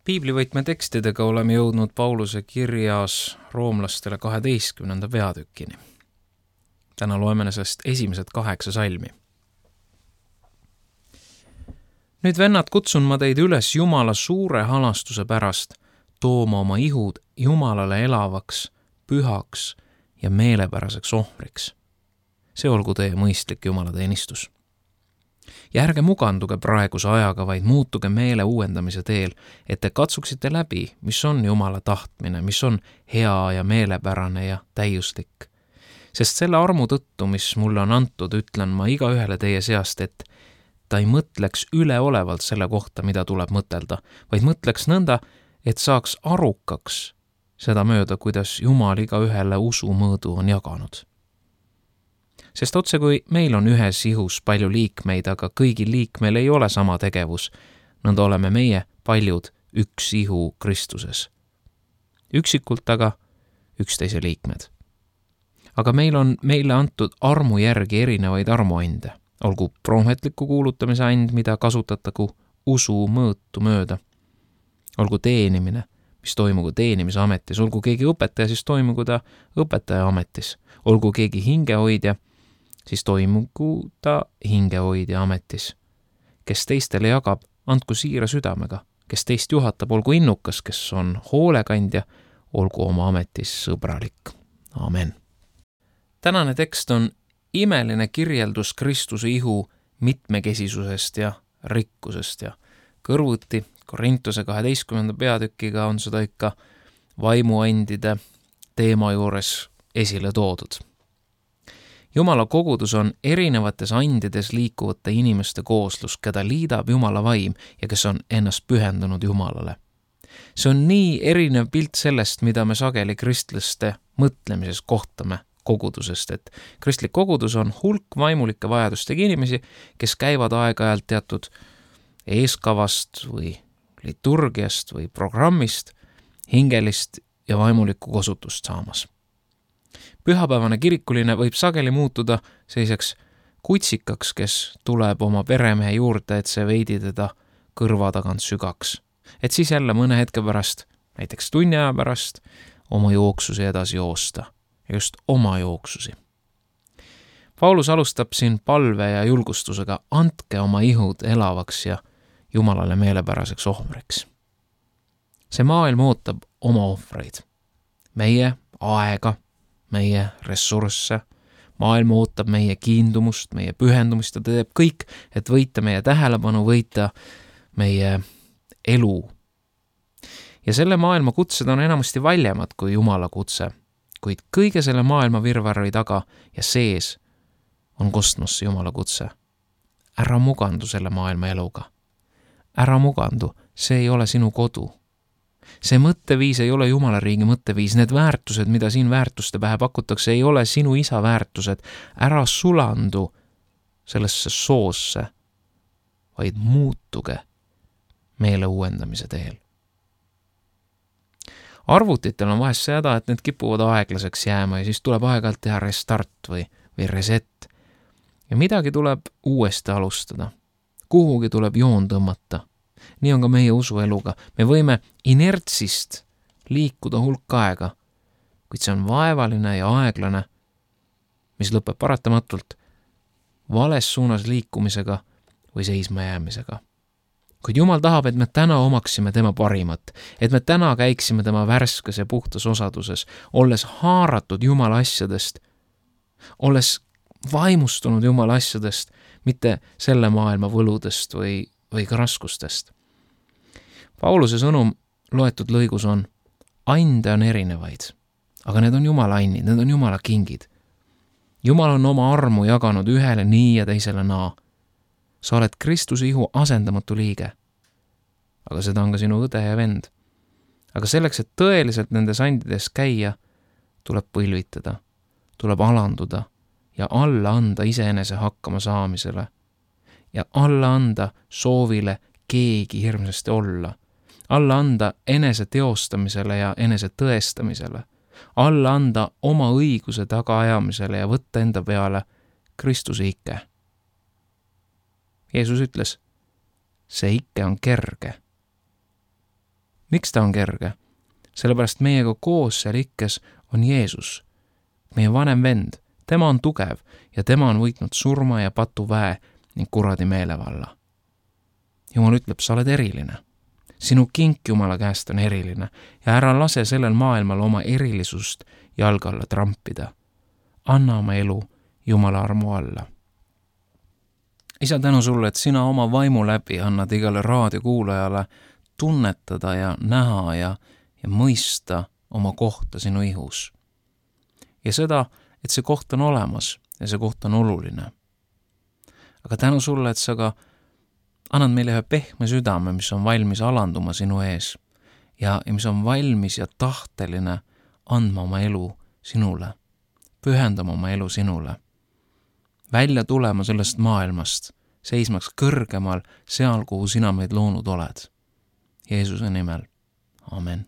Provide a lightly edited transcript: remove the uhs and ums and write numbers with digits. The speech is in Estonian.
Piiblivõtme tekstidega oleme jõudnud Pauluse kirjas roomlastele 12. peatükini. Täna loeme sellest esimesed 8 salmi. Nüüd, vennad, kutsun ma teid üles Jumala suure halastuse pärast tooma oma ihud Jumalale elavaks, pühaks ja meelepäraseks ohvriks. See olgu teie mõistlik jumalateenistus. Ja ärge muganduge praeguse ajaga, vaid muutuge meele uuendamise teel, et te katsuksite läbi, mis on Jumala tahtmine, mis on hea ja meelepärane ja täiuslik. Sest selle armu tõttu, mis mulle on antud, ütlen ma igaühele teie seast, et ta ei mõtleks üleolevalt selle kohta, mida tuleb mõtelda, vaid mõtleks nõnda, et saaks arukaks seda mööda, kuidas Jumal igaühele usu mõõdu on jaganud. Sest otse kui meil on ühes ihus palju liikmeid, aga kõigil liikmel ei ole sama tegevus, nõnda oleme meie paljud üks ihu Kristuses. Üksikult aga üksteise liikmed. Aga meil on meile antud armu järgi erinevaid armuande, olgu prohvetliku kuulutamise and, mida kasutatagu usu mõõtu mööda, olgu teenimine, mis toimugu teenimise ametis, olgu keegi õpetaja, siis toimugu ta õpetaja ametis, olgu keegi hingehoidja, siis toimugu ta hingehoidja ametis. Kes teistele jagab, andku siira südamega. Kes teist juhatab, olgu innukas, kes on hoolekandja, olgu oma ametis sõbralik. Amen. Tänane tekst on imeline kirjeldus Kristuse ihu mitmekesisusest ja rikkusest ja kõrvuti Korintuse 12. peatükiga on seda ikka vaimuandide teema juures esile toodud. Jumala kogudus on erinevates andides liikuvate inimeste kooslus, keda liidab Jumala vaim ja kes on ennast pühendunud Jumalale. See on nii erinev pilt sellest, mida me sageli kristlaste mõtlemises kohtame kogudusest, et kristlik kogudus on hulk vaimulike vajadustega inimesi, kes käivad aeg-ajalt teatud eeskavast või liturgiast või programmist hingelist ja vaimulikku kosutust saamas. Pühapäevane kirikuline võib sageli muutuda selliseks kutsikaks, kes tuleb oma peremehe juurde, et see veidi teda kõrva tagant sügaks. Et siis jälle mõne hetke pärast, näiteks tunni aja pärast, oma jooksusi edasi joosta. Ja just oma jooksusi. Paulus alustab siin palve ja julgustusega, andke oma ihud elavaks ja Jumalale meelepäraseks ohvriks. See maailm ootab oma ohvreid. Meie aega, meie ressursse, maailm ootab meie kiindumust, meie pühendumist ja teeb kõik, et võita meie tähelepanu, võita meie elu. Ja selle maailma kutsed on enamasti valjemad kui Jumala kutse, kuid kõige selle maailma virvarri taga ja sees on kosmosse Jumala kutse. Ära mugandu selle maailma eluga. Ära mugandu, see ei ole sinu kodu. See mõtteviis ei ole Jumala riigi mõtteviis, need väärtused, mida siin väärtuste pähe pakutakse, ei ole sinu isa väärtused. Ära sulandu sellesse soosse, vaid muutuge meele uuendamise teel. Arvutitel on vahest seda, et need kipuvad aeglaseks jääma ja siis tuleb aeg-ajalt teha restart või reset. Ja midagi tuleb uuesti alustada. Kuhugi tuleb joon tõmmata. Nii on ka meie usueluga. Me võime inertsist liikuda hulk aega, kuid see on vaevaline ja aeglane, mis lõpeb paratamatult vales suunas liikumisega või seisma jäämisega. Kuid Jumal tahab, et me täna omaksime tema parimat, et me täna käiksime tema värskes ja puhtas osaduses, olles haaratud Jumala asjadest, olles vaimustunud Jumala asjadest, mitte selle maailma võludest või ka raskustest. Pauluse sõnum loetud lõigus on, ande on erinevaid, aga need on Jumala annid, need on Jumala kingid. Jumal on oma armu jaganud ühele nii ja teisele naa. Sa oled Kristuse ihu asendamatu liige, aga seda on ka sinu õde ja vend. Aga selleks, et tõeliselt nendes andides käia, tuleb põlvitada, tuleb alanduda ja alla anda iseenese hakkama saamisele ja alla anda soovile keegi hirmsasti olla, alla anda enese teostamisele ja enese tõestamisele, alla anda oma õiguse tagaajamisele ja võtta enda peale Kristuse ikke. Jeesus ütles, see ikke on kerge Miks ta on kerge? Sellepärast meiega koos seal ikkes on Jeesus, meie vanem vend. Tema on tugev ja tema on võitnud surma ja patuväe ning kuradi meelevalla. Jumal ütleb, sa oled eriline. Sinu kink Jumala käest on eriline ja ära lase sellel maailmal oma erilisust jalga alla trampida. Anna oma elu Jumala armu alla. Isa, tänu sulle, et sina oma vaimu läbi annad igale raadiokuulajale tunnetada ja näha ja mõista oma kohta sinu ihus. Ja seda, et see koht on olemas ja see koht on oluline. Aga tänu sulle, et sa ka annad meile ühe pehme südame, mis on valmis alanduma sinu ees ja mis on valmis ja tahteline andma oma elu sinule, pühendama oma elu sinule, välja tulema sellest maailmast, seismaks kõrgemal seal, kuhu sina meid loonud oled. Jeesuse nimel. Amen.